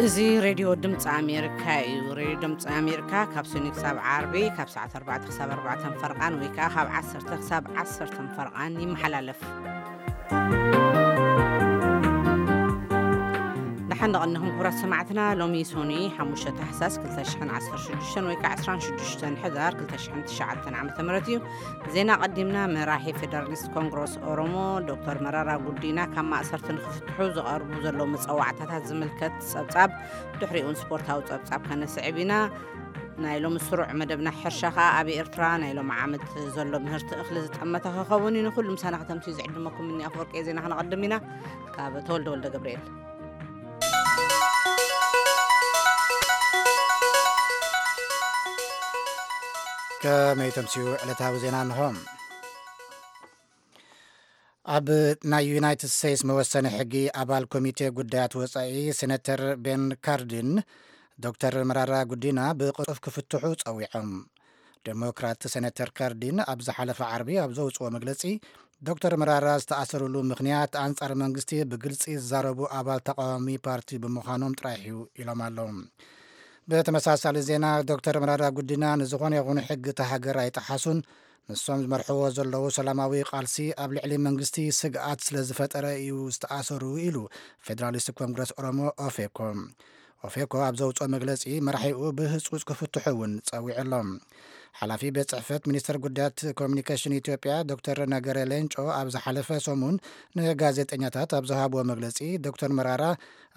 እዚ ሬድዮ ድምፂ ኣሜሪካ እዩ። ሬድዮ ድምፂ ኣሜሪካ ካብ ሰኞ ክሳብ ዓርቢ ካብ ሰዓት ኣርባዕተ ክሳብ ኣርባዕተ ፈርቓን ወይ ከዓ ካብ ዓሰርተ ክሳብ ዓሰርተ ፈርቓን ይመሓላለፍ። ደሓን ደቐንኹም ክቡራት ሰማዕትና። ሎሚ ሶኒ ሓሙሽተ ታሕሳስ ክልተ ሽሕን ዓሰርተ ሽዱሽተን ወይ ከዓ ዕስራን ሽዱሽተን ሕዳር ክልተ ሽሕን ትሽዓተን ዓመተ ምህረት እዩ። ዜና ቀዲምና። መራሒ ፌደራሊስት ኮንግረስ ኦሮሞ ዶክተር መራራ ጉዲና ካብ ማእሰርቲ ንክፍትሑ ዝቐርቡ ዘለዉ መፀዋዕታታት ዝምልከት ፀብፃብ፣ ድሕሪኡን ስፖርታዊ ፀብፃብ ከነስዕብ ኢና። ናይ ሎሚ ስሩዕ መደብና ሕርሻ ከዓ ኣብ ኤርትራ ናይ ሎሚ ዓመት ዘሎ ምህርቲ እኽሊ ዝጠመተ ክኸውን እዩ። ንኩሉ ምሳና ከተምስዩ ዝዕድመኩም እኒ ኣፈወርቂ ዜና ክነቐድም ኢና። ካብ ተወልደ ወልደ ገብርኤል። ከመይ ተምስዩ ዕለታዊ ዜና እንሆ። ኣብ ናይ ዩናይትድ ስቴትስ መወሰኒ ሕጊ ኣባል ኮሚቴ ጉዳያት ወጻኢ ሴነተር ቤን ካርዲን ዶክተር መራራ ጉዲና ብቕልጡፍ ክፍትሑ ጸዊዖም። ዴሞክራት ሴነተር ካርዲን ኣብ ዝሓለፈ ዓርቢ ኣብ ዘውጽኦ መግለጺ፣ ዶክተር መራራ ዝተኣሰሩሉ ምኽንያት ኣንጻር መንግስቲ ብግልጺ ዝዛረቡ ኣባል ተቃዋሚ ፓርቲ ብምዃኖም ጥራሕ እዩ ኢሎም ኣለዉ። ብተመሳሳሊ ዜና፣ ዶክተር መራራ ጉዲና ንዝኾነ ይኹን ሕጊ እታ ሃገር ኣይጠሓሱን፣ ንሶም ዝመርሕዎ ዘለዉ ሰላማዊ ቃልሲ ኣብ ልዕሊ መንግስቲ ስግኣት ስለ ዝፈጠረ እዩ ዝተኣሰሩ ኢሉ ፌደራሊስት ኮንግረስ ኦሮሞ ኦፌኮ። ኦፌኮ ኣብ ዘውፅኦ መግለፂ፣ መራሒኡ ብህፁፅ ክፍትሑ እውን ፀዊዑ ኣሎ። ሓላፊ ቤት ፅሕፈት ሚኒስትር ጉዳያት ኮሚኒኬሽን ኢትዮጵያ ዶክተር ነገረ ሌንጮ ኣብ ዝሓለፈ ሰሙን ንጋዜጠኛታት ኣብ ዝሃብዎ መግለፂ፣ ዶክተር መራራ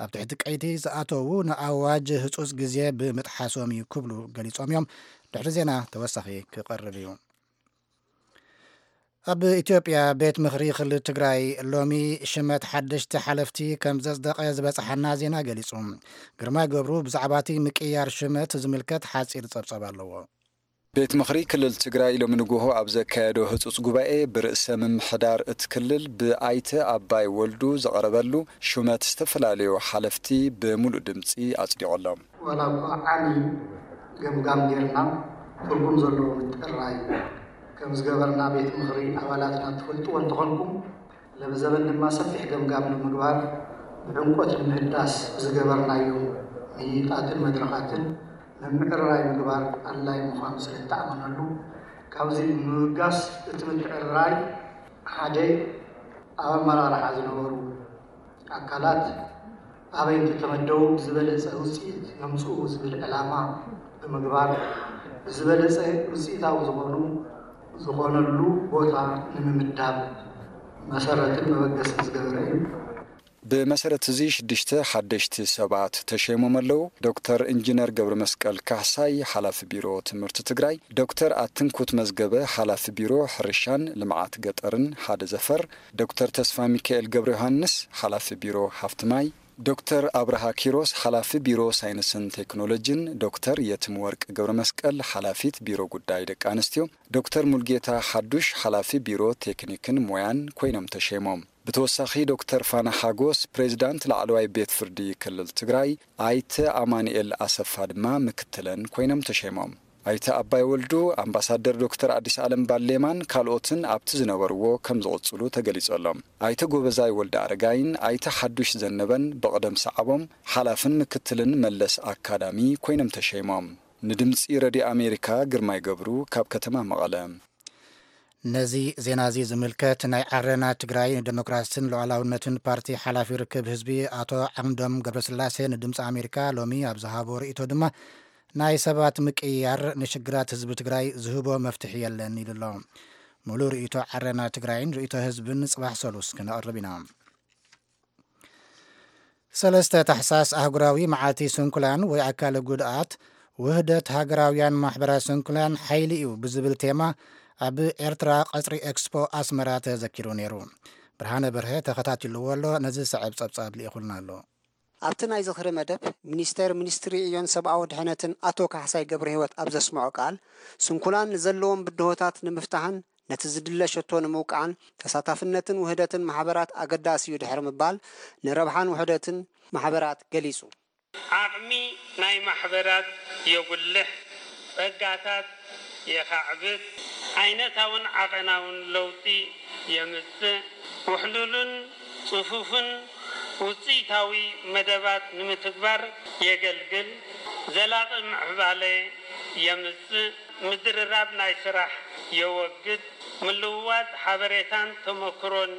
ኣብ ትሕቲ ቀይዲ ዝኣተዉ ንኣዋጅ ህፁፅ ግዜ ብምጥሓሶም እዩ ክብሉ ገሊፆም እዮም። ድሕሪ ዜና ተወሳኺ ክቐርብ እዩ። ኣብ ኢትዮጵያ ቤት ምኽሪ ክልል ትግራይ ሎሚ ሽመት ሓደሽቲ ሓለፍቲ ከም ዘጽደቐ ዝበጽሓና ዜና ገሊጹ። ግርማይ ገብሩ ብዛዕባ እቲ ምቅያር ሽመት ዝምልከት ሓጺር ጸብጻብ ኣለዎ። ቤት ምኽሪ ክልል ትግራይ ሎሚ ንግሆ ኣብ ዘካየዶ ህጹጽ ጉባኤ፣ ብርእሰ ምምሕዳር እቲ ክልል ብኣይተ ኣባይ ወልዱ ዝቐረበሉ ሹመት ዝተፈላለዩ ሓለፍቲ ብምሉእ ድምጺ ኣጽዲቑ ኣሎ። ዋላ እኳ ዓሚ ገምጋም ጌርና ትርጉም ዘለዎ ምጥራይ ከም ዝገበርና ቤት ምኽሪ ኣባላትና ትፈልጥዎ እንተኾንኩም፣ ለብዘበን ድማ ሰፊሕ ገምጋም ንምግባር ብዕምቆት ንምህዳስ ብዝገበርናዮ ምይይጣትን መድረኻትን ምምዕርራይ ምግባር ኣድላዪ ምዃኑ ስለ እተኣመነሉ፣ ካብዚ ብምብጋስ እቲ ምትዕርራይ ሓደ ኣብ ኣመራርሓ ዝነበሩ ኣካላት ኣበይ እንተተመደቡ ብዝበለፀ ውፅኢት የምፅኡ ዝብል ዕላማ ብምግባር ብዝበለፀ ውፅኢታዊ ዝኾኑ ዝኾነሉ ቦታ ንምምዳብ መሰረትን መበገስን ዝገበረ እዩ። ብመሰረት እዚ ሽዱሽተ ሓደሽቲ ሰባት ተሸይሞም ኣለዉ። ዶክተር ኢንጂነር ገብረ መስቀል ካሕሳይ ሓላፊ ቢሮ ትምህርቲ ትግራይ፣ ዶክተር ኣትንኩት መዝገበ ሓላፊ ቢሮ ሕርሻን ልምዓት ገጠርን ሓደ ዘፈር፣ ዶክተር ተስፋ ሚካኤል ገብረ ዮሃንስ ሓላፊ ቢሮ ሃፍቲ ማይ፣ ዶክተር ኣብርሃ ኪሮስ ሓላፊ ቢሮ ሳይንስን ቴክኖሎጂን፣ ዶክተር የትም ወርቅ ገብረ መስቀል ሓላፊት ቢሮ ጉዳይ ደቂ ኣንስትዮ፣ ዶክተር ሙልጌታ ሓዱሽ ሓላፊ ቢሮ ቴክኒክን ሞያን ኮይኖም ተሸይሞም። ብተወሳኺ ዶክተር ፋና ሓጎስ ፕሬዚዳንት ላዕለዋይ ቤት ፍርዲ ክልል ትግራይ፣ ኣይተ ኣማኑኤል ኣሰፋ ድማ ምክትለን ኮይኖም ተሸይሞም። ኣይተ ኣባይ ወልዱ፣ ኣምባሳደር ዶክተር ኣዲስ ኣለም ባሌማን ካልኦትን ኣብቲ ዝነበርዎ ከም ዝቕጽሉ ተገሊጹ ኣሎ። ኣይተ ጎበዛይ ወልደ ኣረጋይን ኣይተ ሓዱሽ ዘነበን ብቕደም ሰዓቦም ሓላፍን ምክትልን መለስ ኣካዳሚ ኮይኖም ተሸይሞም። ንድምጺ ረድዮ ኣሜሪካ ግርማይ ገብሩ ካብ ከተማ መቐለ። ነዚ ዜና እዚ ዝምልከት ናይ ዓረና ትግራይ ንደሞክራስን ሉዓላውነትን ፓርቲ ሓላፊ ርክብ ህዝቢ ኣቶ ዓምዶም ገብረስላሴ ንድምፂ ኣሜሪካ ሎሚ ኣብ ዝሃቦ ርእይቶ ድማ ናይ ሰባት ምቅይያር ንሽግራት ህዝቢ ትግራይ ዝህቦ መፍትሒ የለን ኢሉ ኣሎ። ሙሉእ ርእይቶ ዓረና ትግራይን ርእይቶ ህዝብን ጽባሕ ሰሉስ ክነቕርብ ኢና። ሰለስተ ታሕሳስ ኣህጉራዊ መዓልቲ ስንኩላን ወይ ኣካለ ጉድኣት ውህደት ሃገራውያን ማሕበራት ስንኩላን ሓይሊ እዩ ብዝብል ቴማ ኣብ ኤርትራ ቀጽሪ ኤክስፖ ኣስመራ ተዘኪሩ ነይሩ። ብርሃነ በርሀ ተኸታቲልዎ ኣሎ፣ ነዚ ዝስዕብ ጸብጻብ ልኢኹልና ኣሎ። ኣብቲ ናይ ዝኽሪ መደብ፣ ሚኒስተር ሚኒስትሪ ዕዮን ሰብኣዊ ድሕነትን ኣቶ ካሕሳይ ገብረህይወት ኣብ ዘስምዖ ቃል፣ ስንኩላን ንዘለዎም ብድሆታት ንምፍታሕን ነቲ ዝድለ ሸቶ ንምውቃዕን ተሳታፍነትን ውህደትን ማሕበራት ኣገዳሲ እዩ ድሕሪ ምባል፣ ንረብሓን ውሕደትን ማሕበራት ገሊጹ። ዓቕሚ ናይ ማሕበራት የጉልሕ፣ ጸጋታት የኻዕብት፣ ዓይነታውን ዓቐናውን ለውጢ የምጽእ፣ ውሕሉልን ጽፉፍን ውፅኢታዊ መደባት ንምትግባር የገልግል፣ ዘላቒ ምዕባለ የምፅእ፣ ምድርራብ ናይ ስራሕ የወግድ፣ ምልውዋጥ ሓበሬታን ተመክሮን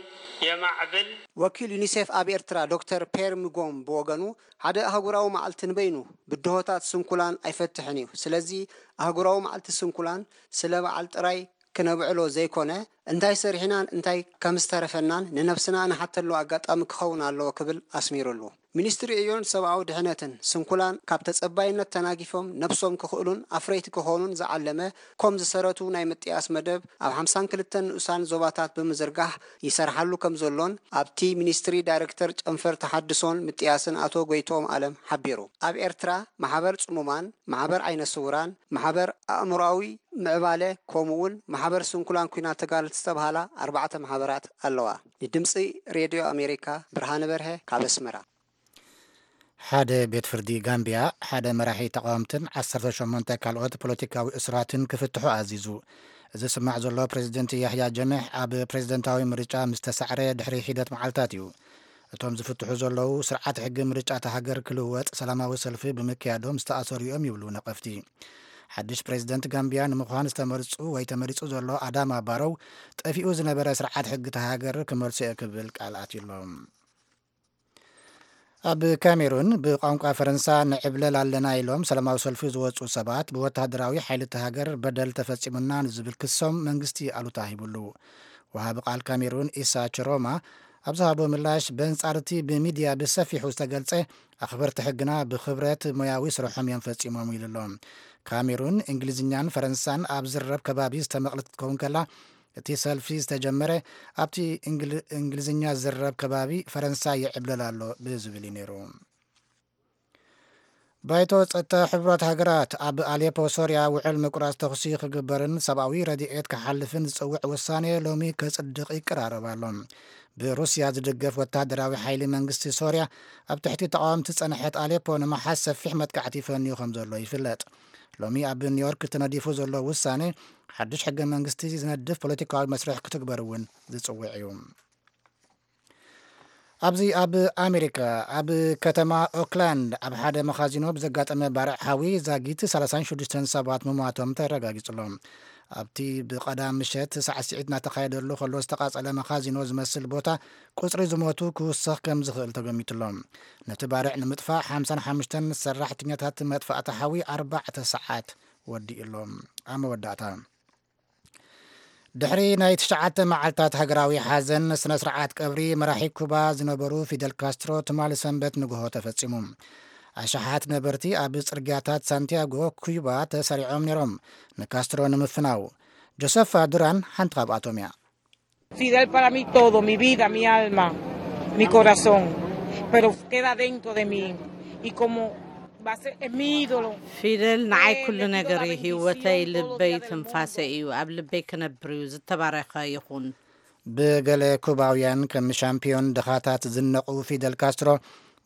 የማዕብል። ወኪል ዩኒሴፍ ኣብ ኤርትራ ዶክተር ፔር ምጎም ብወገኑ፣ ሓደ ኣህጉራዊ መዓልቲ ንበይኑ ብድሆታት ስንኩላን ኣይፈትሕን እዩ። ስለዚ ኣህጉራዊ መዓልቲ ስንኩላን ስለ በዓል ጥራይ ክነብዕሎ ዘይኮነ፣ እንታይ ሰሪሕናን እንታይ ከም ዝተረፈናን ንነብስና ንሓተሉ ኣጋጣሚ ክኸውን ኣለዎ ክብል ኣስሚሩሉ። ሚኒስትሪ ዕዮን ሰብኣዊ ድሕነትን፣ ስንኩላን ካብ ተጸባይነት ተናጊፎም ነብሶም ክኽእሉን ኣፍረይቲ ክኾኑን ዝዓለመ ኮም ዝሰረቱ ናይ ምጥያስ መደብ ኣብ ሓምሳን ክልተን ንኡሳን ዞባታት ብምዝርጋሕ ይሰርሓሉ ከም ዘሎን ኣብቲ ሚኒስትሪ ዳይሬክተር ጨንፈር ተሓድሶን ምጥያስን ኣቶ ጎይትኦም ኣለም ሓቢሩ። ኣብ ኤርትራ ማሕበር ጽሙማን፣ ማሕበር ዓይነ ስውራን፣ ማሕበር ኣእምሮኣዊ ምዕባለ ከምኡውን ማሕበር ስንኩላን ኲናት ተጋደልቲ ዝተብሃላ ኣርባዕተ ማሕበራት ኣለዋ። ንድምጺ ሬድዮ ኣሜሪካ ብርሃነ በርሀ ካብ ኣስመራ። ሓደ ቤት ፍርዲ ጋምቢያ ሓደ መራሒ ተቓወምትን ዓሰርተ ሸሞንተ ካልኦት ፖለቲካዊ እሱራትን ክፍትሑ ኣዚዙ። እዚ ዝስማዕ ዘሎ ፕሬዚደንት ያሕያ ጀምሕ ኣብ ፕሬዚደንታዊ ምርጫ ምስ ተሳዕረ ድሕሪ ሒደት መዓልታት እዩ። እቶም ዝፍትሑ ዘለዉ ስርዓት ሕጊ ምርጫ እታ ሃገር ክልወጥ ሰላማዊ ሰልፊ ብምክያዶም ዝተኣሰሩ እዮም ይብሉ ነቐፍቲ። ሓድሽ ፕሬዚደንት ጋምቢያ ንምዃን ዝተመርጹ ወይ ተመሪጹ ዘሎ ኣዳማ ባሮው ጠፊኡ ዝነበረ ስርዓት ሕጊ እታ ሃገር ክመልሶ እየ ክብል ቃል ኣትዩሎም። ኣብ ካሜሩን ብቋንቋ ፈረንሳ ንዕብለል ኣለና ኢሎም ሰላማዊ ሰልፊ ዝወፁ ሰባት ብወታደራዊ ሓይሊ እቲ ሃገር በደል ተፈፂሙና ንዝብል ክሶም መንግስቲ ኣሉታ ሂቡሉ። ወሃቢ ቃል ካሜሩን ኢሳ ችሮማ ኣብ ዝሃቦ ምላሽ በንፃር እቲ ብሚድያ ብሰፊሑ ዝተገልፀ ኣኽበርቲ ሕግና ብኽብረት ሞያዊ ስርሖም እዮም ፈፂሞም ኢሉ ኣሎ። ካሜሩን እንግሊዝኛን ፈረንሳን ኣብ ዝረብ ከባቢ ዝተመቕለት ክትከውን ከላ እቲ ሰልፊ ዝተጀመረ ኣብቲ እንግሊዝኛ ዝረብ ከባቢ ፈረንሳ ይዕብለል ኣሎ ብዝብል እዩ ነይሩ። ባይቶ ጸጥታ ሕቡራት ሃገራት ኣብ ኣሌፖ ሶርያ ውዕል ምቁራጽ ተኹሲ ክግበርን ሰብኣዊ ረድኤት ክሓልፍን ዝጽውዕ ውሳኔ ሎሚ ከጽድቕ ይቀራረብ ኣሎ። ብሩስያ ዝድገፍ ወታደራዊ ሓይሊ መንግስቲ ሶርያ ኣብ ትሕቲ ተቓወምቲ ዝጸንሐት ኣሌፖ ንምሓዝ ሰፊሕ መጥቃዕቲ ፈንዩ ከም ዘሎ ይፍለጥ። ሎሚ ኣብ ኒውዮርክ ተነዲፉ ዘሎ ውሳኔ ሓድሽ ሕገ መንግስቲ ዝነድፍ ፖለቲካዊ መስርሕ ክትግበር እውን ዝጽውዕ እዩ። ኣብዚ ኣብ ኣሜሪካ ኣብ ከተማ ኦክላንድ ኣብ ሓደ መኻዚኖ ብዘጋጠመ ባርዕ ሓዊ ዛጊት ሰላሳን ሽዱሽተን ሰባት ምሟቶም ተረጋጊጹ ኣሎ። ኣብቲ ብቐዳም ምሸት ሳዕስዒት እናተኻየደሉ ከሎ ዝተቓጸለ መኻዚኖ ዝመስል ቦታ ቁጽሪ ዝሞቱ ክውሰኽ ከም ዝኽእል ተገሚቱ ኣሎ። ነቲ ባርዕ ንምጥፋእ ሓምሳን ሓሙሽተን ሰራሕተኛታት መጥፋእቲ ሓዊ ኣርባዕተ ሰዓት ወዲኡ ኣሎ። ኣብ መወዳእታ ድሕሪ ናይ ትሽዓተ መዓልታት ሃገራዊ ሓዘን ስነ ስርዓት ቀብሪ መራሒ ኩባ ዝነበሩ ፊደል ካስትሮ ትማሊ ሰንበት ንግሆ ተፈጺሙ። ኣሽሓት ነበርቲ ኣብ ጽርግያታት ሳንቲያጎ ኩባ ተሰሪዖም ነይሮም ንካስትሮ ንምፍናው። ጆሰፋ ዱራን ሓንቲ ካብኣቶም እያ። Fidel para mí todo, mi vida, mi alma, mi corazón, pero queda dentro de mí y como va a ser es mi ídolo. ፊደል ንዓይ ኩሉ ነገር እዩ፣ ህይወተይ፣ ልበይ፣ ትንፋሰይ እዩ። ኣብ ልበይ ክነብር እዩ። ዝተባረኸ ይኹን። ብገለ ኩባውያን ከም ሻምፒዮን ድኻታት ዝነቑ ፊደል ካስትሮ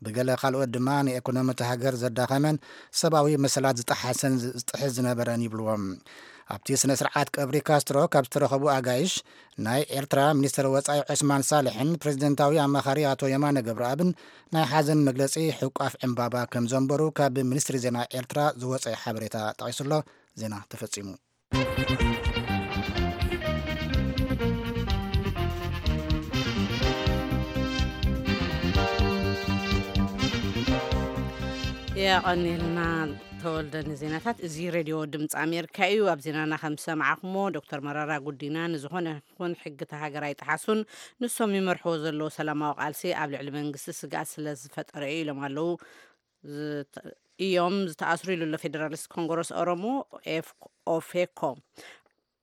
ብገለ ካልኦት ድማ ንኤኮኖሚ እታ ሃገር ዘዳኸመን ሰብኣዊ መሰላት ዝጠሓሰን ዝጥሕስ ዝነበረን ይብልዎም። ኣብቲ ስነ ስርዓት ቀብሪ ካስትሮ ካብ ዝተረኸቡ ኣጋይሽ ናይ ኤርትራ ሚኒስትር ወጻኢ ዑስማን ሳልሕን ፕሬዚደንታዊ ኣማኻሪ ኣቶ የማነ ገብረኣብን ናይ ሓዘን መግለጺ ሕቋፍ ዕምባባ ከም ዘንበሩ ካብ ሚኒስትሪ ዜና ኤርትራ ዝወጸ ሓበሬታ ጠቒሱሎ። ዜና ተፈጺሙ። የቐኒልና ተወልደ ንዜናታት። እዚ ሬድዮ ድምፂ ኣሜሪካ እዩ። ኣብ ዜናና ከም ዝሰማዕኹሞ ዶክተር መራራ ጉዲና ንዝኾነ ይኹን ሕጊ እታ ሃገር ኣይጠሓሱን፣ ንሶም ይመርሕዎ ዘለዉ ሰላማዊ ቃልሲ ኣብ ልዕሊ መንግስቲ ስግኣት ስለ ዝፈጠረ እዩ ኢሎም ኣለዉ። እዮም ዝተኣስሩ ኢሉ ኣሎ ፌደራሊስት ኮንግረስ ኦሮሞ ኦፌኮ።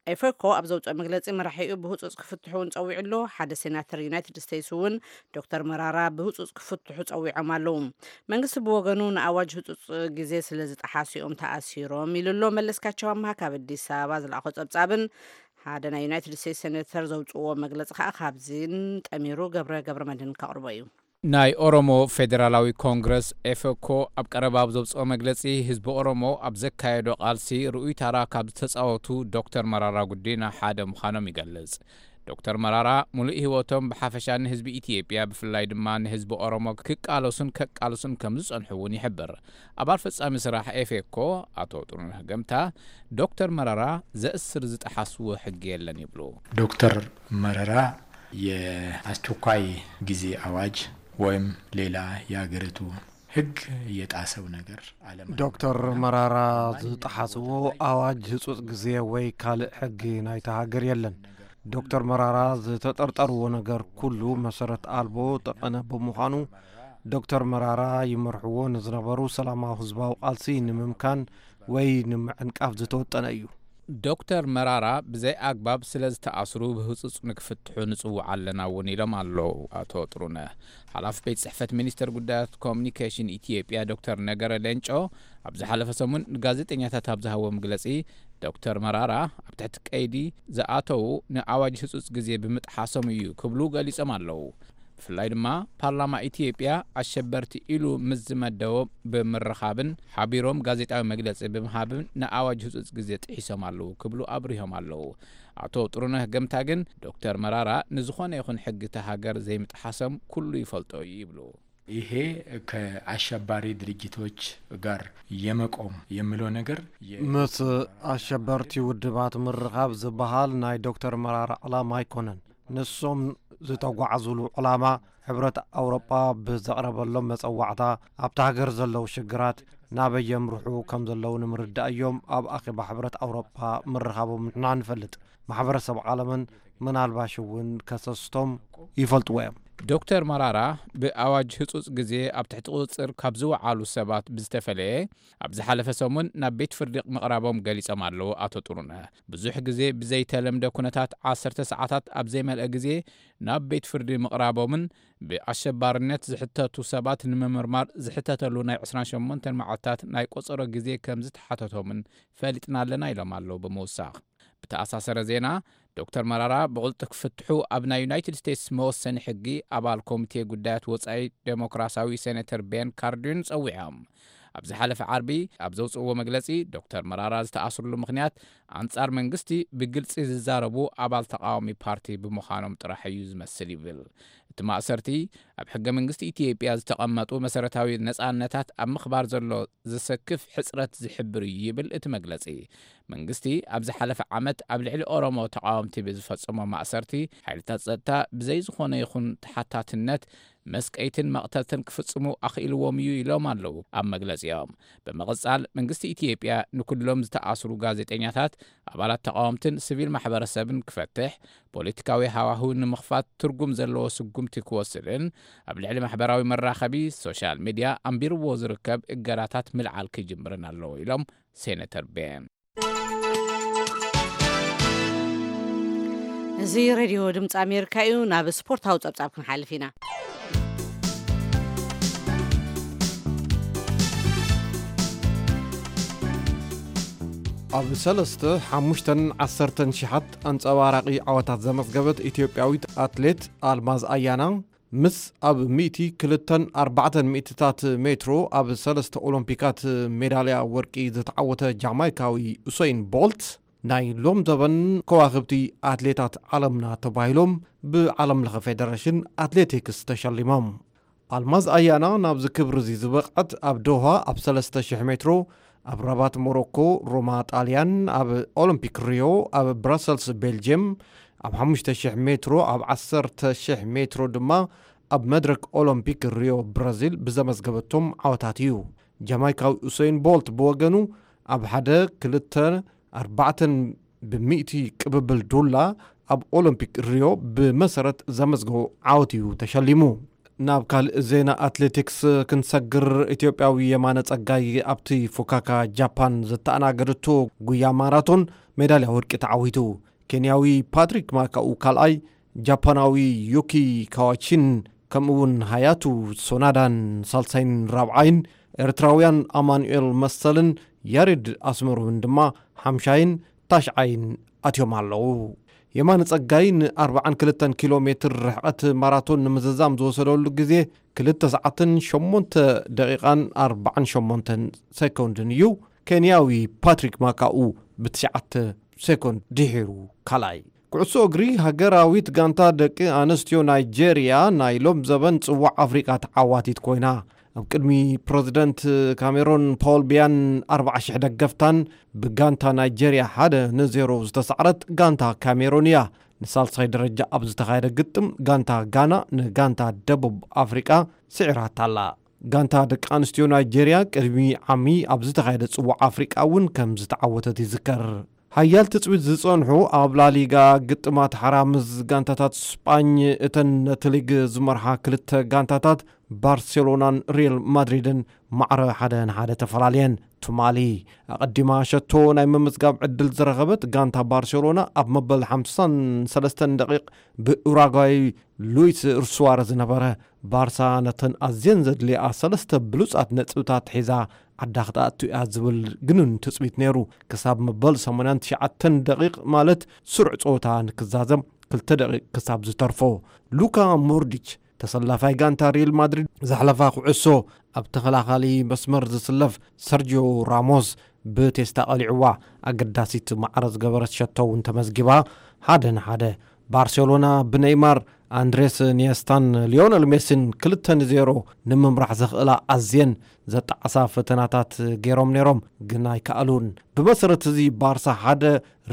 ኤፌኮ ኣብ ዘውፅኦ መግለፂ መራሒኡ ብህፁፅ ክፍትሑ እውን ፀዊዑ ኣሎ። ሓደ ሴናተር ዩናይትድ ስቴትስ እውን ዶክተር መራራ ብህፁፅ ክፍትሑ ፀዊዖም ኣለዉ። መንግስቲ ብወገኑ ንኣዋጅ ህፁፅ ግዜ ስለ ዝጠሓሱ እዮም ተኣሲሮም ኢሉ ኣሎ። መለስካቸው ኣምሃ ካብ ኣዲስ ኣበባ ዝለኣኾ ፀብፃብን ሓደ ናይ ዩናይትድ ስቴትስ ሴኔተር ዘውፅዎ መግለፂ ከዓ ካብዚን ጠሚሩ ገብረ ገብረ መድህን ከቕርቦ እዩ። ናይ ኦሮሞ ፌዴራላዊ ኮንግረስ ኤፈኮ ኣብ ቀረባ ኣብ ዘውፅኦ መግለፂ ህዝቢ ኦሮሞ ኣብ ዘካየዶ ቃልሲ ርኡይ ታራ ካብ ዝተፃወቱ ዶክተር መራራ ጉዲና ሓደ ምዃኖም ይገልፅ። ዶክተር መራራ ሙሉእ ህይወቶም ብሓፈሻ ንህዝቢ ኢትዮጵያ፣ ብፍላይ ድማ ንህዝቢ ኦሮሞ ክቃለሱን ከቃልሱን ከም ዝጸንሑ እውን ይሕብር። ኣባል ፈጻሚ ስራሕ ኤፌኮ ኣቶ ጥሩነህ ገምታ፣ ዶክተር መራራ ዘእስር ዝጠሓስዎ ሕጊ የለን ይብሉ። ዶክተር መረራ የአስቸኳይ ጊዜ አዋጅ ወይም ሌላ የሀገሪቱ ህግ የጣሰው ነገር አለመኖር። ዶክተር መራራ ዝጠሓስዎ ኣዋጅ ህጹጽ ግዜ ወይ ካልእ ሕጊ ናይታ ሃገር የለን። ዶክተር መራራ ዝተጠርጠርዎ ነገር ኩሉ መሰረት ኣልቦ ጠቐነ ብምዃኑ፣ ዶክተር መራራ ይመርሕዎ ንዝነበሩ ሰላማዊ ህዝባዊ ቃልሲ ንምምካን ወይ ንምዕንቃፍ ዝተወጠነ እዩ። ዶክተር መራራ ብዘይ ኣግባብ ስለ ዝተኣስሩ ብህጹጽ ንክፍትሑ ንጽውዕ ኣለና እውን ኢሎም ኣለዉ ኣቶ ጥሩነህ። ሓላፊ ቤት ጽሕፈት ሚኒስቴር ጉዳያት ኮሙኒኬሽን ኢትዮጵያ ዶክተር ነገረ ሌንጮ ኣብ ዝሓለፈ ሰሙን ንጋዜጠኛታት ኣብ ዝሃቦ መግለጺ፣ ዶክተር መራራ ኣብ ትሕቲ ቀይዲ ዝኣተዉ ንኣዋጅ ህጹጽ ግዜ ብምጥሓሶም እዩ ክብሉ ገሊጾም ኣለዉ። ብፍላይ ድማ ፓርላማ ኢትዮጵያ ኣሸበርቲ ኢሉ ምስ ዝመደቦ ብምርኻብን ሓቢሮም ጋዜጣዊ መግለጺ ብምሃብን ንኣዋጅ ህጹጽ ግዜ ጥሒሶም ኣለዉ ክብሉ ኣብሪሆም ኣለዉ። ኣቶ ጥሩነህ ገምታ ግን ዶክተር መራራ ንዝኾነ ይኹን ሕጊ እታ ሃገር ዘይምጥሓሶም ኩሉ ይፈልጦ እዩ ይብሉ። ይሄ ከአሸባሪ ድርጅቶች ጋር የመቆም የሚለው ነገር የ- ምስ ኣሸበርቲ ውድባት ምርኻብ ዝበሃል ናይ ዶክተር መራራ ዕላማ ኣይኮነን። ንሶም ዝተጓዓዙሉ ዕላማ ሕብረት ኣውሮጳ ብዘቕረበሎም መጸዋዕታ ኣብታ ሃገር ዘለዉ ሽግራት ናበይ የምርሑ ከም ዘለዉ ንምርዳእ እዮም ኣብ ኣኼባ ሕብረት ኣውሮጳ ምርኻቦም ንሕና ንፈልጥ። ማሕበረሰብ ዓለምን ምናልባሽ እውን ከሰስቶም ይፈልጥዎ እዮም። ዶክተር መራራ ብኣዋጅ ህጹጽ ግዜ ኣብ ትሕቲ ቁጽጽር ካብ ዝወዓሉ ሰባት ብዝተፈለየ፣ ኣብ ዝሓለፈ ሰሙን ናብ ቤት ፍርዲ ምቕራቦም ገሊጾም ኣለዉ ኣቶ ጥሩነህ። ብዙሕ ግዜ ብዘይተለምደ ኩነታት ዓሰርተ ሰዓታት ኣብ ዘይመልአ ግዜ ናብ ቤት ፍርዲ ምቕራቦምን ብኣሸባርነት ዝሕተቱ ሰባት ንምምርማር ዝሕተተሉ ናይ ዕስራን ሸሞንተን መዓልታት ናይ ቆጸሮ ግዜ ከም ዝተሓተቶምን ፈሊጥና ኣለና ኢሎም ኣለዉ ብምውሳኽ። ብተኣሳሰረ ዜና፣ ዶክተር መራራ ብቕልጡፍ ክፍትሑ ኣብ ናይ ዩናይትድ ስቴትስ መወሰኒ ሕጊ ኣባል ኮሚቴ ጉዳያት ወጻኢ ዴሞክራሲያዊ ሴኔተር ቤን ካርዲን ጸዊዖም። ኣብ ዝሓለፈ ዓርቢ ኣብ ዘውጽእዎ መግለጺ፣ ዶክተር መራራ ዝተኣስርሉ ምኽንያት ኣንጻር መንግስቲ ብግልጺ ዝዛረቡ ኣባል ተቃዋሚ ፓርቲ ብምዃኖም ጥራሕ እዩ ዝመስል ይብል። እቲ ማእሰርቲ ኣብ ሕገ መንግስቲ ኢትዮጵያ ዝተቐመጡ መሰረታዊ ነጻነታት ኣብ ምኽባር ዘሎ ዘሰክፍ ሕጽረት ዝሕብር እዩ ይብል እቲ መግለጺ። መንግስቲ ኣብ ዝሓለፈ ዓመት ኣብ ልዕሊ ኦሮሞ ተቃወምቲ ብዝፈጸሞ ማእሰርቲ ሓይልታት ጸጥታ ብዘይ ዝኾነ ይኹን ተሓታትነት መስቀይትን መቕተልትን ክፍጽሙ ኣኽኢልዎም እዩ ኢሎም ኣለዉ ኣብ መግለጺኦም። ብምቕጻል መንግስቲ ኢትዮጵያ ንኩሎም ዝተኣስሩ ጋዜጠኛታት፣ ኣባላት ተቃወምትን ሲቪል ማሕበረሰብን ክፈትሕ፣ ፖለቲካዊ ሃዋህው ንምኽፋት ትርጉም ዘለዎ ስጉምቲ ክወስድን ኣብ ልዕሊ ማሕበራዊ መራኸቢ ሶሻል ሚድያ ኣንቢርዎ ዝርከብ እገዳታት ምልዓል ክጅምርን ኣለዎ ኢሎም ሴነተር ቤን። እዚ ሬድዮ ድምፂ ኣሜሪካ እዩ። ናብ ስፖርታዊ ፀብፃብ ክንሓልፍ ኢና። ኣብ ሰለስተ፣ ሓሙሽተን ዓሰርተን ሽሓት ኣንጸባራቒ ዓወታት ዘመዝገበት ኢትዮጵያዊት ኣትሌት ኣልማዝ ኣያና፣ ምስ ኣብ ሚእቲ ክልተን ኣርባዕተን ሚእትታት ሜትሮ ኣብ ሰለስተ ኦሎምፒካት ሜዳልያ ወርቂ ዝተዓወተ ጃማይካዊ ኡሰይን ቦልት፣ ናይ ሎም ዘበን ከዋኽብቲ ኣትሌታት ዓለምና ተባሂሎም ብዓለም ለኸ ፌደሬሽን ኣትሌቲክስ ተሸሊሞም። ኣልማዝ ኣያና ናብዚ ክብሪ እዚ ዝበቕዐት ኣብ ዶሃ ኣብ ሰለስተ ሽሕ ሜትሮ፣ ኣብ ራባት ሞሮኮ፣ ሮማ ጣልያን፣ ኣብ ኦሎምፒክ ሪዮ፣ ኣብ ብራሰልስ ቤልጅየም፣ ኣብ ሓሙሽተ ሽሕ ሜትሮ፣ ኣብ ዓሰርተ ሽሕ ሜትሮ ድማ ኣብ መድረክ ኦሎምፒክ ሪዮ ብራዚል ብዘመዝገበቶም ዓወታት እዩ። ጃማይካዊ ኡሰይን ቦልት ብወገኑ ኣብ ሓደ፣ ክልተ፣ ኣርባዕተን ብሚእቲ ቅብብል ዱላ ኣብ ኦሎምፒክ ሪዮ ብመሰረት ዘመዝገቦ ዓወት እዩ ተሸሊሙ። ናብ ካልእ ዜና ኣትሌቲክስ ክንሰግር፣ ኢትዮጵያዊ የማነ ጸጋይ ኣብቲ ፉካካ ጃፓን ዘተኣናገደቶ ጉያ ማራቶን ሜዳልያ ወርቂ ተዓዊቱ። ኬንያዊ ፓትሪክ ማካኡ ካልኣይ፣ ጃፓናዊ ዩኪ ካዋቺን ከምኡውን ሃያቱ ሶናዳን ሳልሳይን ራብዓይን፣ ኤርትራውያን ኣማኑኤል መሰልን ያሬድ ኣስመሮምን ድማ ሓምሻይን ታሽዓይን ኣትዮም ኣለዉ። የማነ ጸጋይ ን ኣርባዓን ክልተን ኪሎ ሜትር ርሕቐት ማራቶን ንምዝዛም ዝወሰደሉ ግዜ ክልተ ሰዓትን ሸሞንተ ደቂቓን ኣርባዓን ሸሞንተን ሴኮንድን እዩ። ኬንያዊ ፓትሪክ ማካኡ ብትሽዓተ ሴኮንድ ድሒሩ ካልኣይ ኩዕሶ እግሪ፣ ሃገራዊት ጋንታ ደቂ ኣንስትዮ ናይጄርያ ናይ ሎም ዘበን ጽዋዕ ኣፍሪቃ ተዓዋቲት ኮይና። ኣብ ቅድሚ ፕረዚደንት ካሜሮን ፖል ቢያን ኣርባዓ ሽሕ ደገፍታን ብጋንታ ናይጄርያ ሓደ ንዜሮ ዝተሳዕረት ጋንታ ካሜሮን እያ። ንሳልሳይ ደረጃ ኣብ ዝተኻየደ ግጥም፣ ጋንታ ጋና ንጋንታ ደቡብ ኣፍሪቃ ስዒራታ ኣላ። ጋንታ ደቂ ኣንስትዮ ናይጄርያ ቅድሚ ዓሚ ኣብ ዝተኻየደ ጽዋዕ ኣፍሪቃ እውን ከም ዝተዓወተት ይዝከር። ሓያል ትጽቢት ዝጸንሑ ኣብ ላሊጋ ግጥማት ሓራ ምስ ጋንታታት ስጳኝ፣ እተን ነቲ ሊግ ዝመርሓ ክልተ ጋንታታት ባርሴሎናን ሪል ማድሪድን ማዕረ ሓደ ንሓደ ተፈላለየን። ትማሊ ኣቐዲማ ሸቶ ናይ ምምዝጋብ ዕድል ዝረኸበት ጋንታ ባርሴሎና፣ ኣብ መበል ሓምሳን ሰለስተን ደቂቕ ብኡራጓይ ሉዊስ ሱዋረዝ ዝነበረ ባርሳ ነተን ኣዝየን ዘድልያ ሰለስተ ብሉጻት ነጥብታት ሒዛ ዓዳ ክትኣቱ እያ ዝብል ግኑን ትጽቢት ነይሩ። ክሳብ መበል ሰማንያን ትሽዓተን ደቂቕ፣ ማለት ስሩዕ ጸወታ ንክዛዘም ክልተ ደቂቕ ክሳብ ዝተርፎ፣ ሉካ ሞድሪች፣ ተሰላፋይ ጋንታ ሪል ማድሪድ፣ ዘሕለፋ ኩዕሶ ኣብ ተኸላኻሊ መስመር ዝስለፍ ሰርጂዮ ራሞስ ብቴስታ ቀሊዕዋ። ኣገዳሲት ማዕረ ዝገበረት ሸቶ እውን ተመዝጊባ። ሓደ ንሓደ። ባርሴሎና ብኔይማር፣ ኣንድሬስ ኒየስታን ሊዮነል ሜሲን ክልተ ንዜሮ ንምምራሕ ዘኽእላ ኣዝየን ዘጣዕሳ ፈተናታት ገይሮም ነይሮም፣ ግን ኣይከኣሉን። ብመሰረት እዚ፣ ባርሳ ሓደ፣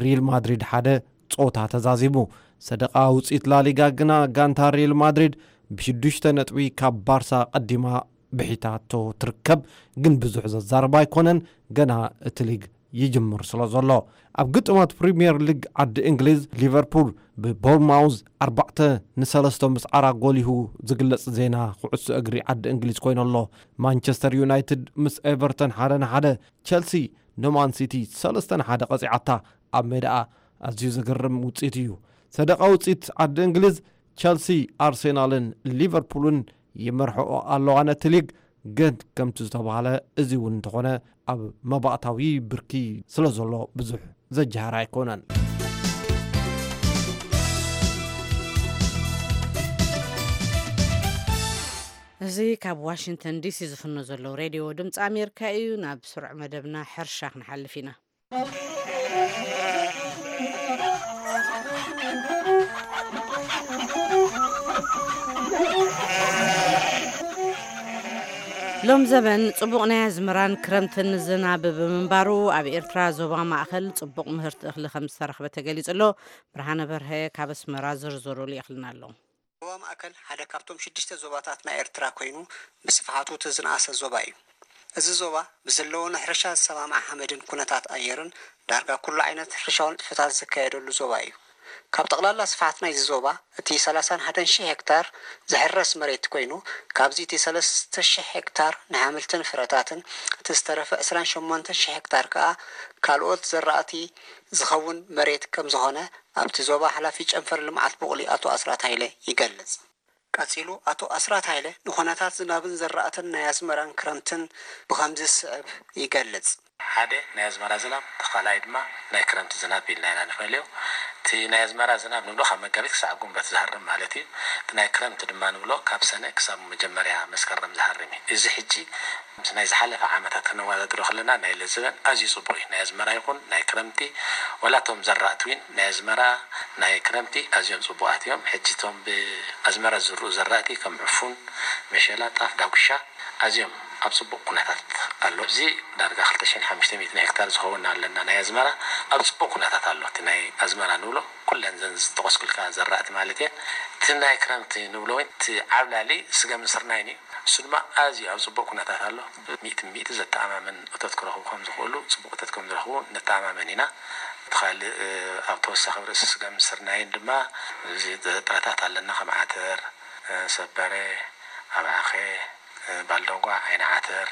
ሪል ማድሪድ ሓደ ጸወታ ተዛዚሙ። ሰደቓ ውጽኢት ላሊጋ ግና፣ ጋንታ ሪል ማድሪድ ብሽዱሽተ ነጥቢ ካብ ባርሳ ቀዲማ ብሒታቶ ትርከብ፣ ግን ብዙሕ ዘዛርብ ኣይኮነን፣ ገና እቲ ሊግ ይጅምር ስለ ዘሎ። ኣብ ግጥማት ፕሪምየር ሊግ ዓዲ እንግሊዝ፣ ሊቨርፑል ብቦርማውዝ ኣርባዕተ ንሰለስተ ምስዓራ ጎሊሁ ዝግለጽ ዜና ኩዕሶ እግሪ ዓዲ እንግሊዝ ኮይኑ ኣሎ። ማንቸስተር ዩናይትድ ምስ ኤቨርተን ሓደ ንሓደ፣ ቸልሲ ንማን ሲቲ ሰለስተ ንሓደ ቀጺዓታ። ኣብ ሜዳኣ ኣዝዩ ዘገርም ውጽኢት እዩ። ሰደቓ ውጽኢት ዓዲ እንግሊዝ፣ ቸልሲ፣ ኣርሴናልን ሊቨርፑልን ይመርሕኦ ኣለዋ ነቲ ሊግ። ግን ከምቲ ዝተባህለ፣ እዚ እውን እንተኾነ፣ ኣብ መባእታዊ ብርኪ ስለ ዘሎ ብዙሕ ዘጀሃር ኣይኮነን። እዚ ካብ ዋሽንግተን ዲሲ ዝፍኖ ዘሎ ሬድዮ ድምፂ ኣሜሪካ እዩ። ናብ ስሩዕ መደብና ሕርሻ ክንሓልፍ ኢና። ሎም ዘበን ጽቡቕ ናይ ኣዝመራን ክረምትን ዝናብ ብምንባሩ፣ ኣብ ኤርትራ ዞባ ማእከል ጽቡቕ ምህርቲ እኽሊ ከም ዝተረኽበ ተገሊጹ ኣሎ። ብርሃነ በርሀ ካብ ኣስመራ ዝርዝሩ ልኢኽልና ኣሎ። ዞባ ማእከል ሓደ ካብቶም ሽዱሽተ ዞባታት ናይ ኤርትራ ኮይኑ፣ ብስፍሓቱ እቲ ዝነኣሰ ዞባ እዩ። እዚ ዞባ ብዘለዎ ንሕርሻ ዝሰማማዕ ሓመድን ኩነታት ኣየርን፣ ዳርጋ ኩሉ ዓይነት ሕርሻዊ ንጥፈታት ዝካየደሉ ዞባ እዩ። ካብ ጠቕላላ ስፍሓት ናይዚ ዞባ፣ እቲ ሰላሳን ሓደን ሽሕ ሄክታር ዝሕረስ መሬት ኮይኑ፣ ካብዚ እቲ ሰለስተ ሽሕ ሄክታር ንሓምልትን ፍረታትን፣ እቲ ዝተረፈ ዕስራን ሸሞንተን ሽሕ ሄክታር ከኣ ካልኦት ዘራእቲ ዝኸውን መሬት ከም ዝኾነ፣ ኣብቲ ዞባ ሓላፊ ጨንፈር ልምዓት ቡቕሊ ኣቶ ኣስራት ሃይለ ይገልጽ። ቀጺሉ ኣቶ ኣስራት ሃይለ ንኹነታት ዝናብን ዘራእትን ናይ ኣዝመራን ክረምትን ብኸምዚ ዝስዕብ ይገልጽ። ሓደ ናይ ኣዝመራ ዝናብ፣ እቲ ካልኣይ ድማ ናይ ክረምቲ ዝናብ ኢልና ኢና ንፈልዮ። እቲ ናይ ኣዝመራ ዝናብ ንብሎ ካብ መጋቢት ክሳብ ጉንበት ዝሃርም ማለት እዩ። እቲ ናይ ክረምቲ ድማ ንብሎ ካብ ሰነ ክሳብ መጀመርያ መስከረም ዝሃርም እዩ። እዚ ሕጂ ምስ ናይ ዝሓለፈ ዓመታት ክነወዳድሮ ከለና፣ ናይ ለዝበን ኣዝዩ ጽቡቕ እዩ። ናይ ኣዝመራ ይኹን ናይ ክረምቲ፣ ዋላ እቶም ዘራእቲ እውን ናይ ኣዝመራ ናይ ክረምቲ ኣዝዮም ጽቡቓት እዮም። ሕጂ እቶም ብኣዝመራ ዝዝርኡ ዘራእቲ ከም ዕፉን፣ መሸላ፣ ጣፍ፣ ዳጉሻ ኣዝዮም ኣብ ጽቡቕ ኩነታት ኣሎ። ኣብዚ ዳርጋ ክልተ ሽሕን ሓሙሽተ ሚእትን ሄክታር ዝኸውን ኣለና ናይ ኣዝመራ፣ ኣብ ጽቡቕ ኩነታት ኣሎ። እቲ ናይ ኣዝመራ ንብሎ ኩለን ዘን ዝጠቐስኩልካ ዘራእቲ ማለት እየን። እቲ ናይ ክረምቲ ንብሎ እውን እቲ ዓብላሊ ስገምን ስርናይን እዩ። እሱ ድማ ኣዝዩ ኣብ ጽቡቕ ኩነታት ኣሎ። ሚእቲ ሚእቲ ዘተኣማምን እቶት ክረኽቡ ከም ዝኽእሉ፣ ጽቡቕ እቶት ከም ዝረኽቡ ንተኣማመን ኢና። እቲ ካልእ፣ ኣብ ተወሳኺ ኣብ ርእሲ ስገምን ስርናይን ድማ እዚ ጥረታት ኣለና፣ ከም ዓተር፣ ሰበረ፣ ኣብዓኸ፣ ባልደጓ፣ ዓይኒ ዓተር፣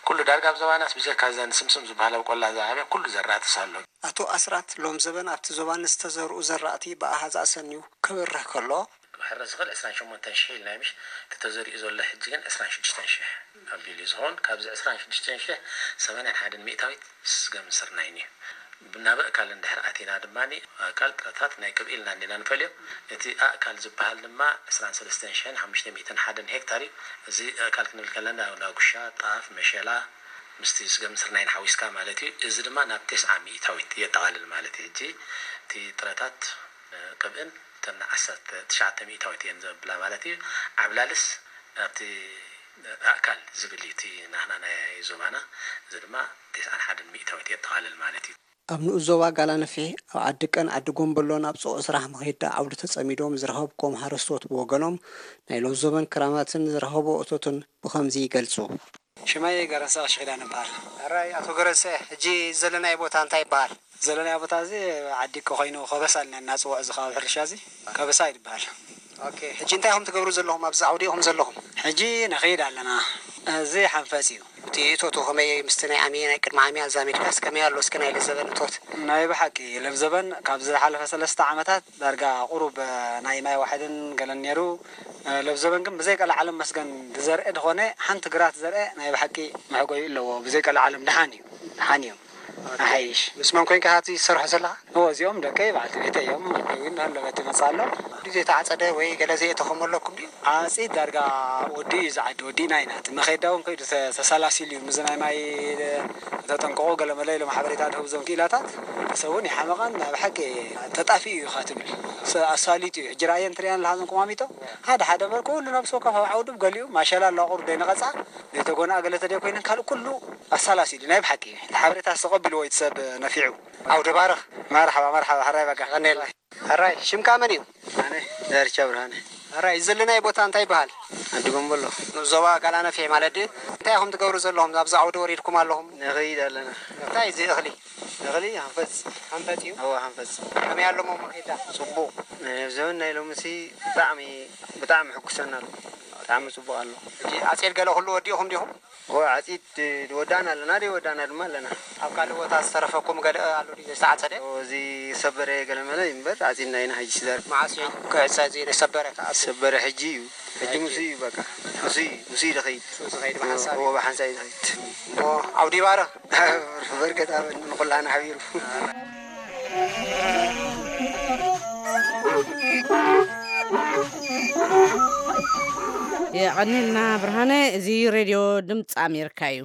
ኩሉ ዳርጋ ኣብ ዞባናስ ብጀካ እዘን ስምስም ዝበሃላ ኣብ ቆላ ዝዓበያ ኩሉ ዘራእትስ ኣሎ። ኣቶ ኣስራት፣ ሎም ዘበን ኣብቲ ዞባ ንዝተዘርኡ ዘራእቲ ብኣሃዝ ኣሰንዩ ክብርህ ከሎ፣ ክሕረስ ዝኽእል ዕስራን ሸሞንተን ሽሕ ኢልና እዩ፣ ምሽ? እቲ ተዘሪኡ ዘሎ ሕጂ ግን ዕስራን ሽዱሽተን ሽሕ ኣቢሉ እዩ ዝኸውን። ካብዚ ዕስራን ሽዱሽተን ሽሕ፣ ሰማንያን ሓደን ሚእታዊት ስገምን ስርናይን እዩ። ናብ ኣእካል እንድሕር ኣቲና ድማ፣ ኣእካል ጥረታት ናይ ቅብኢ ኢልና እንዲና ንፈልዮ። እቲ ኣእካል ዝበሃል ድማ ዕስራን ሰለስተን ሽሕን ሓሙሽተ ሚእትን ሓደን ሄክታር እዩ። እዚ ኣእካል ክንብል ከለና፣ ዳጉሻ፣ ጣፍ፣ መሸላ፣ ምስቲ ስገምን ስርናይን ሓዊስካ ማለት እዩ። እዚ ድማ ናብ ተስዓ ሚእታዊት የጠቓልል ማለት እዩ። ሕጂ እቲ ጥረታት ቅብእን እተን ዓሰርተ ትሽዓተ ሚእታዊት እየን ዘብላ ማለት እዩ። ዓብላልስ ኣብቲ ኣእካል ዝብል እዩ እቲ ናህና ናይ ዞባና። እዚ ድማ ተስዓን ሓደን ሚእታዊት የጠቓልል ማለት እዩ። ኣብ ንኡስ ዞባ ጋላነፍሒ ኣብ ዓዲ ቀን ዓዲ ጎምበሎን ኣብ ጽዑቕ ስራሕ መኸይዳ ዓውዲ ተጸሚዶም ዝረኸብኩም ሓረስቶት ብወገኖም ናይ ለውዘበን ክራማትን ዝረኸቦ እቶትን ብኸምዚ ይገልጹ። ሽመይ ገረንሰ ቀሺ ኪዳነ ይበሃል። ሕራይ ኣቶ ገረንሰ፣ ሕጂ ዘለናዮ ቦታ እንታይ ይበሃል? ዘለናዮ ቦታ እዚ ዓዲ እኮ ኮይኑ ከበሳ ኢልና እናፅውዖ እዚ ከባቢ ሕርሻ እዚ ከበሳ እዩ ዝበሃል። ኦኬ፣ ሕጂ እንታይ ኢኹም ትገብሩ ዘለኹም ኣብዚ ዓውዲ ኢኹም ዘለኹም? ሕጂ ንኸይድ ኣለና። እዚ ሓንፈፅ እዩ። እቲ እቶቱ ከመይ ምስቲ ናይ ዓሚ ናይ ቅድሚ ዓሚ ኣዛሚድካስ ከመይ ኣሎ እስኪ ናይ ለዘበን እቶት? ናይ ብሓቂ ለብዘበን ካብ ዝሓለፈ ሰለስተ ዓመታት ዳርጋ ቁሩብ ናይ ማይ ዋሕድን ገለን ነይሩ። ለብዘበን ግን ብዘይ ቀልዓለም መስገን ዝዘርአ ዝኾነ ሓንቲ ግራት ዘርአ ናይ ብሓቂ መሕጎዩ ኣለዎ። ብዘይ ቀልዓለም ደሓን እዩ፣ ደሓን እዩ። ኣሓይሽ። ምስ መን ኮይንካ ሃቲ ዝሰርሖ ዘለኻ? እዎ፣ እዚኦም ደቀይ በዓልቲ ቤተይ እዮም። ግን ኣለበት ይመጽእ ኣሎ። ዘይተዓጸደ ወይ ገለ ዘይእተኸሞ ኣለኩም ድዩ? ዓጺድ ዳርጋ ወዲ እዩ ዝዓዲ፣ ወዲ ኢና ኢና። እቲ መኸዳ እውን ከይዱ ተ-፣ ተሰላሲሉ እዩ። ምስዚ ናይ ማይ ተጠንቀቑ ገለ መለ ኢሎም ሓበሬታ ድህቡ እዞም ክኢላታት። ሰብ እውን ይሓመቐን ናይ ብሓቂ ተጣፊኡ እዩ ኢኻ ትብል። ሰ-፣ ኣሳሊጡ እዩ። ሕጂ ራእየን ትሪኣን ኣለኻ እዞም ቁማሚጦ። ሓደ ሓደ እምበር ኩሉ ነብሲ ወከፍ ኣብ ዓውዱ ገሊኡ ማሸላ ኣሎ፣ ቁር ደይነቐጻ፣ ዘይተጎንኣ ገለ ተደይ ኮይነን ካልእ ኩሉ ኣሳላሲሉ ናይ ብሓቂ እዩ። እቲ ሓበሬታ ዝተቐቢልዎ እዩ እቲ ሰብ ነፊዑ። ዓውደ ባርኽ። መርሓባ፣ መርሓባ፣ ሕራይ በቃ። ቀኔል። ሕራይ፣ ሽምካ መን እዩ? ኣነ ዳርቻ ብርሃነ። ሕራይ፣ እዚ ዘለናዮ ቦታ እንታይ ይበሃል? ዓዲ ጎምቦሎ። ዞባ ጋላነፍሒ ማለት ድዩ? እንታይ ኢኹም ትገብሩ ዘለኹም? ኣብዚ ዓውዲ ወሪድኩም ኣለኹም? ንኸይድ ኣለና። እንታይ እዚ እኽሊ? እኽሊ ሃንፈጽ። ሃንፈጽ እዩ? እወ፣ ሃንፈጽ። ከመይ ኣሎ ሞ መኼዳ? ጽቡቕ። ዘበን ናይ ሎምሲ ብጣዕሚ፣ ብጣዕሚ ሕጉሰና ኣሎ። ብጣዕሚ ጽቡቕ ኣሎ። ሕጂ ኣጼል ገለ ኩሉ ወዲእኹም ዲኹም? እወ፣ ዓጺድ ወዳእና ኣለና፣ ደይ ወዳእና ድማ ኣለና። ኣብ ካልእ ቦታ ዝተረፈኩም ገለ ኣሎ ድዩ ዘይተዓጸደ? እወ፣ እዚ ሰበረ ገለ መለ እዩ እምበር፣ ዓጺድና ኢና ሕጂ ስዳር። መዓስ እዩ ክዕጸ እዚ ሰበረ ከኣ? ሰበረ ሕጂ እዩ። ሕጂ ምስ እዩ በቃ። ምስ እዩ፣ ምስ እዩ ዝኸይድ። ምስ እዩ ዝኸይድ ብሓንሳብ እወ፣ እዩ። ብሓንሳብ እዩ ዝኸይድ። እሞ ዓውዲ ይባርኽ። በርከት ኣበል ንኹላና ሓቢሩ። የቐኒልና ብርሃነ። እዚ ሬድዮ ድምፂ ኣሜሪካ እዩ።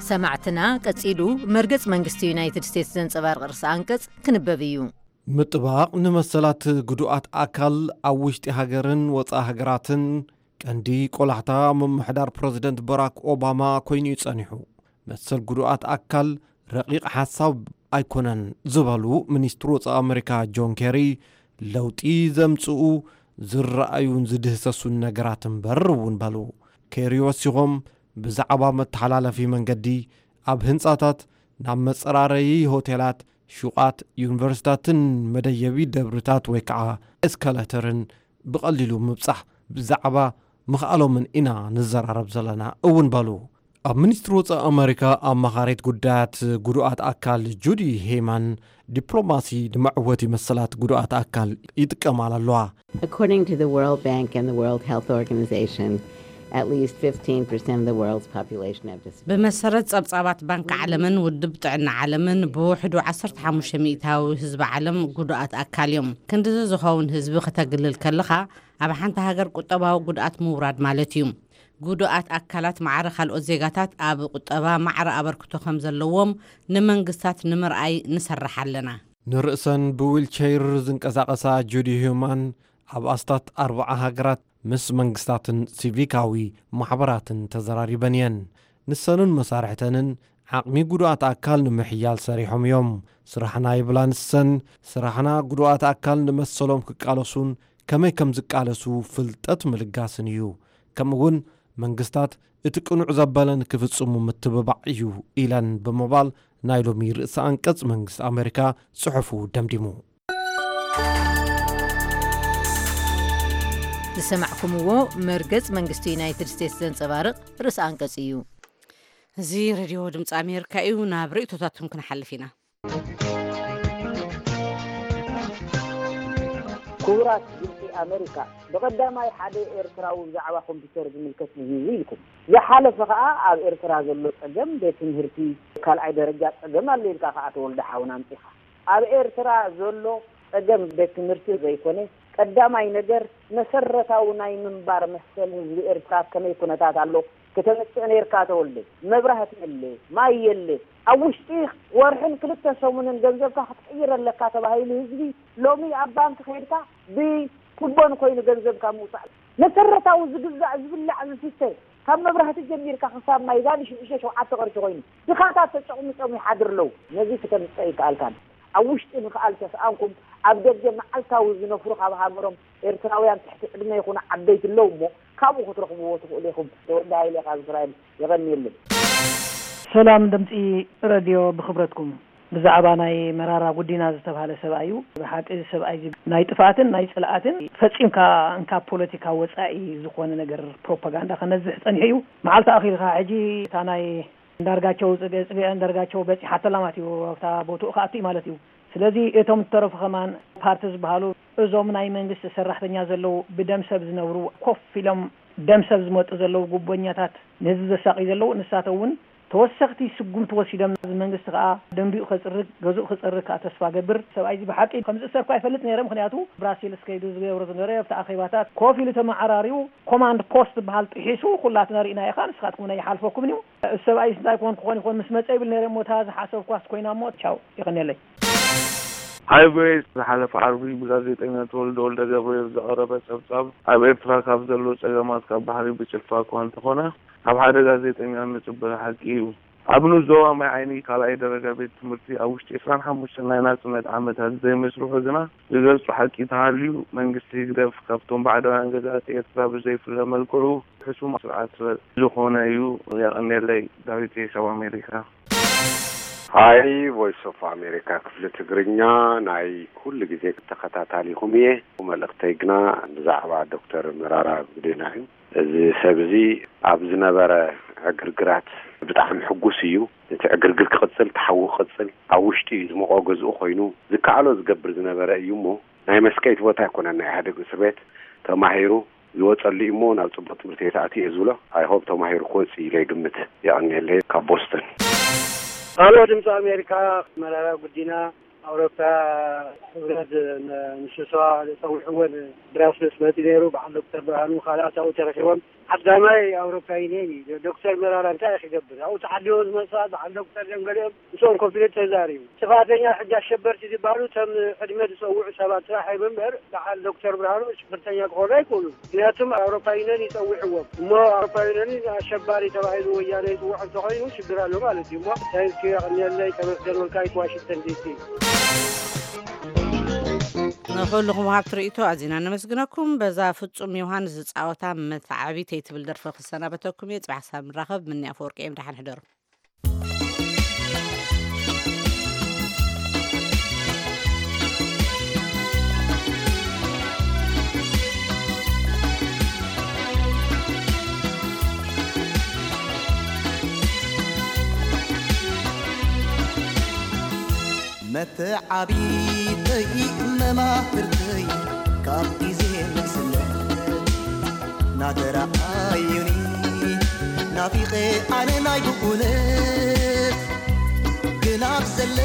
ሰማዕትና፣ ቀጺሉ መርገጽ መንግስቲ ዩናይትድ ስቴትስ ዘንጸባርቕ ርእሰ ኣንቀጽ ክንበብ እዩ። ምጥባቕ ንመሰላት ግዱኣት ኣካል ኣብ ውሽጢ ሃገርን ወጻኢ ሃገራትን ቀንዲ ቆላሕታ ምምሕዳር ፕረዚደንት በራክ ኦባማ ኮይኑ እዩ ጸኒሑ። መሰል ግዱኣት ኣካል ረቂቕ ሓሳብ ኣይኮነን ዝበሉ ሚኒስትር ወጻኢ ኣመሪካ ጆን ኬሪ፣ ለውጢ ዘምጽኡ ዝረኣዩን ዝድህሰሱን ነገራት እምበር እውን በሉ። ኬሪ ወሲኾም፣ ብዛዕባ መተሓላለፊ መንገዲ፣ ኣብ ህንጻታት፣ ናብ መጸራረዪ ሆቴላት፣ ሹቓት፣ ዩኒቨርሲታትን መደየቢ ደብርታት ወይ ከዓ ኤስካሌተርን ብቐሊሉ ምብጻሕ ብዛዕባ ምኽኣሎምን ኢና ንዘራረብ ዘለና እውን በሉ። ኣብ ሚኒስትሪ ወጻኢ ኣመሪካ ኣማኻሪት ጉዳያት ጉዱኣት ኣካል ጁዲ ሄይማን፣ ዲፕሎማሲ ንመዕወቲ መሰላት ጉዱኣት ኣካል ይጥቀማሉ ኣለዋ። According to the World Bank and the World Health Organization, at least fifteen percent of the world's population have disabilities. ብመሰረት ጸብጻባት ባንክ ዓለምን ውድብ ጥዕና ዓለምን፣ ብውሕዱ ዓሰርተ ሓሙሽተ ሚእታዊ ህዝቢ ዓለም ጉዱኣት ኣካል እዮም። ክንድዚ ዝኸውን ህዝቢ ከተግልል ከለኻ፣ ኣብ ሓንቲ ሃገር ቁጠባዊ ጉድኣት ምውራድ ማለት እዩ። ጉዱኣት ኣካላት ማዕረ ካልኦት ዜጋታት ኣብ ቁጠባ ማዕረ ኣበርክቶ ከም ዘለዎም ንመንግስታት ንምርኣይ ንሰርሕ ኣለና። ንርእሰን ብዊልቸይር ዝንቀሳቐሳ ጁዲ ሂዩማን፣ ኣብ ኣስታት ኣርብዓ ሃገራት ምስ መንግስታትን ሲቪካዊ ማሕበራትን ተዘራሪበን እየን። ንሰንን መሳርሕተንን ዓቕሚ ጉዱኣት ኣካል ንምሕያል ሰሪሖም እዮም። ስራሕና ይብላ ንሰን፣ ስራሕና ጉዱኣት ኣካል ንመሰሎም ክቃለሱን ከመይ ከም ዝቃለሱ ፍልጠት ምልጋስን እዩ። ከምኡ እውን መንግስታት እቲ ቅኑዕ ዘበለ ንክፍጽሙ ምትብባዕ እዩ ኢለን ብምባል ናይ ሎሚ ርእሰ ኣንቀጽ መንግስቲ ኣመሪካ ጽሑፉ ደምዲሙ። ዝሰማዕኩምዎ መርገጽ መንግስቲ ዩናይትድ ስቴትስ ዘንጸባርቕ ርእሰ ኣንቀጽ እዩ። እዚ ሬድዮ ድምፂ ኣሜሪካ እዩ። ናብ ርእይቶታትኩም ክንሓልፍ ኢና። ክቡራት ድምፂ ኣሜሪካ፣ ብቐዳማይ ሓደ ኤርትራዊ ብዛዕባ ኮምፒውተር ዝምልከት እዩ ኢልኩም። ዝሓለፈ ከኣ ኣብ ኤርትራ ዘሎ ጸገም ቤት ትምህርቲ ካልኣይ ደረጃ ጸገም ኣሎ ኢልካ ከኣ ተወልደ ሓውና ኣምጺኻ። ኣብ ኤርትራ ዘሎ ጸገም ቤት ትምህርቲ ዘይኮነ፣ ቀዳማይ ነገር መሰረታዊ ናይ ምንባር መሰል ህዝቢ ኤርትራ ኣብ ከመይ ኩነታት ኣሎ፣ ከተምፅእ ነይርካ ተወልደ። መብራህቲ የለ፣ ማይ የለ። ኣብ ውሽጢ ወርሕን ክልተ ሰሙንን ገንዘብካ ክትቅይር ኣለካ ተባሂሉ ህዝቢ ሎሚ ኣብ ባንክ ከይድካ ብኩቦን ኮይኑ ገንዘብካ ምውፃእ። መሰረታዊ ዝግዛእ ዝብላዕ ዝስተ ካብ መብራህቲ ጀሚርካ ክሳብ ማይ ዛን ሽዱሽተ ሸውዓተ ቅርሺ ኮይኑ ድኻታት ተጨቕሚጦም ይሓድር ኣለዉ። ነዚ ክተምፅእ ኣይከኣልካን። ኣብ ውሽጢ ምኽኣል ተስኣንኩም ኣብ ደገ መዓልታዊ ዝነፍሩ ካብ ሃገሮም ኤርትራውያን ትሕቲ ዕድመ ይኹኑ ዓበይቲ ኣለዉ እሞ ካብኡ ክትረኽብዎ ትኽእሉ ኢኹም። ተወልደ ሃይለ ካብ እስራኤል። የቐንየለይ። ሰላም ድምፂ ረድዮ፣ ብኽብረትኩም ብዛዕባ ናይ መራራ ጉዲና ዝተባህለ ሰብኣይ እዩ። ብሓቂ እዚ ሰብኣይ እዚ ናይ ጥፍኣትን ናይ ፅልኣትን ፈፂምካ እንካብ ፖለቲካ ወፃኢ ዝኾነ ነገር ፕሮፓጋንዳ ከነዝሕ ፀኒሑ እዩ። መዓልቲ ኣኺልካ ሕጂ እታ ናይ እንዳርጋቸው ፅገ ፅገ እንዳርጋቸው በፂሓተላ ማለት እዩ። ኣብታ ቦትኡ ክኣቱ እዩ ማለት እዩ። ስለዚ እቶም ዝተረፉ ከማን ፓርቲ ዝበሃሉ እዞም ናይ መንግስቲ ሰራሕተኛ ዘለዉ ብደም ሰብ ዝነብሩ ኮፍ ኢሎም ደም ሰብ ዝመጡ ዘለዉ ጉቦኛታት ንህዝቢ ዘሳቂ ዘለዉ ንሳቶም እውን ተወሰኽቲ ስጉምቲ ወሲዶም እዚ መንግስቲ ከዓ ደንቢኡ ከፅርግ ገዝኡ ክፀርግ ከዓ ተስፋ ገብር። ሰብኣይ እዚ ብሓቂ ከም ዝእሰር እኳ ይፈልጥ ነይረ። ምክንያቱ ብራሴልስ ከይዱ ዝገብሮ ዝነበረ ኣብቲ ኣኼባታት ኮፍ ኢሉ ተመዓራሪዩ ኮማንድ ፖስት ዝበሃል ጥሒሱ ኩላትና ርኢና ኢኻ ንስኻትኩም ናይ ይሓልፈኩም እዩ። እዚ ሰብኣይ እንታይ ኮን ክኾን ይኾን ምስ መፀ ይብል ነይረ እሞ እታ ዝሓሰብኳስ ኮይና እሞ ቻው ይቐንየለይ። ሃይ ቪኦኤ ዝሓለፈ ዓርቢ ብጋዜጠኛ ተወልደ ወልደ ገብርኤል ዝቐረበ ጸብጻብ ኣብ ኤርትራ ካብ ዘሎ ጸገማት ካብ ባሕሪ ብጭልፋ እኳ እንተኾነ ካብ ሓደ ጋዜጠኛ እንጽበዮ ሓቂ እዩ። ኣብ ንኡስ ዞባ ማይ ዓይኒ ካልኣይ ደረጃ ቤት ትምህርቲ ኣብ ውሽጢ ዕስራን ሓሙሽተን ናይ ናጽነት ዓመታት ዘይመስርሑ ግና ዝገልጹ ሓቂ እንተሃልዩ መንግስቲ ህግደፍ ካብቶም ባዕዳውያን ገዛእቲ ኤርትራ ብዘይፍለ መልክዑ ሕሱም ስርዓት ዝኾነ እዩ። የቐንየለይ። ዳዊት ካብ ኣሜሪካ። ሃይ ቮይስ ኦፍ ኣሜሪካ ክፍሊ ትግርኛ ናይ ኩሉ ግዜ ተኸታታሊኹም እየ። መልእኽተይ ግና ብዛዕባ ዶክተር መራራ ጉዲና እዩ። እዚ ሰብ እዚ ኣብ ዝነበረ ዕግርግራት ብጣዕሚ ሕጉስ እዩ። እቲ ዕግርግር ክቕጽል፣ እቲ ሓዊ ክቕጽል፣ ኣብ ውሽጢ ዝሞቖ ገዝኡ ኮይኑ ዝከኣሎ ዝገብር ዝነበረ እዩ እሞ ናይ መስቀይት ቦታ ኣይኮነን ናይ ኢህኣዴግ እስር ቤት ተማሂሩ ዝወፀሉ እዩ እሞ ናብ ፅቡቅ ትምህርቲ ቤት ኣትዩ እየ ዝብሎ። I hope ተማሂሩ ክወፅእ ኢለ ይግምት። የቐንየለይ ካብ ቦስተን። ኣሎ ድምፂ ኣሜሪካ መራራ ጉዲና ኣውሮፓ ህብረት ንስብሰባ ፀዊዕዎ ብራስልስ መፂ ነይሩ። በዓል ዶክተር ብርሃኑ ካልኣት ኣብኡ ተረኪቦም። ዓዳማይ ኣውሮፓ ዩኒየን እዩ። ዶክተር መራራ እንታይ እዩ ክገብር ኣብኡ ተዓዲቦም ዝመፅእ በዓል ዶክተር ደም ገሊኦም ምስኦም ኮፍ ኢሉ ተዛሪቡ። ጥፋተኛ ሕጂ ኣሸበርቲ ዝበሃሉ እቶም ዕድመ ዝፀውዑ ሰባት ጥራሕ እዮም እምበር በዓል ዶክተር ብርሃኑ ሽብርተኛ ክኾኑ ኣይክእሉን። ምክንያቱም ኣውሮፓ ዩኒየን ይፀውዕዎም እሞ ኣውሮፓ ዩኒየን ኣሸባሪ ተባሂሉ ወያነ ይፅውዖ እንተኾይኑ ሽግር ኣሎ ማለት እዩ። እሞ ታንኪዩ የቐንየለይ። ተመስገን ወልቃይት ዋሽንግተን ዲሲ። ንኹልኹም ወሃብቲ ርእይቶ ኣዚና ነመስግነኩም። በዛ ፍጹም ዮሃንስ ዝጻወታ መተዓቢተይ ትብል ደርፊ ክሰናበተኩም እየ። ጽባሕ ክሳብ ንራኸብ ምኒ ኣፈወርቂ እየ። ደሓን ሕደሩ። መተዓቢተይ መማህርተይ ካብ ግዜ ንእስነት ናተረኣዩኒ ናፊቐ ኣነ ናይ ብኡነት ግን ኣብ ዘለኹሞ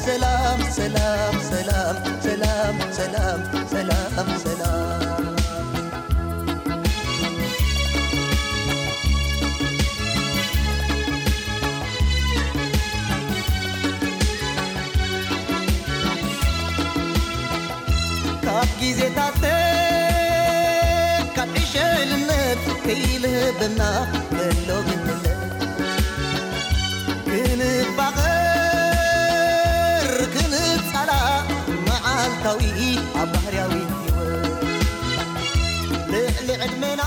ሰላም ሰላም ሰላም ሰላም ሰላም ሰላም ሰላም ካብ ግዜታተይ ካብ ዕሸልነት ከይልህበና ከሎ ግንነት ክንፋቐር ክንጻላእ መዓልታዊ ኣብ ባህርያዊ ህይወት ልዕሊ ዕድመና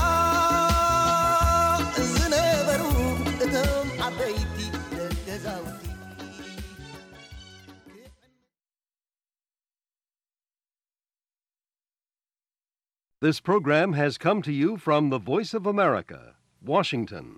ዝነበሩ እቶም ዓበይቲ ደገዛውቲ። This program has come to you from the Voice of America, Washington.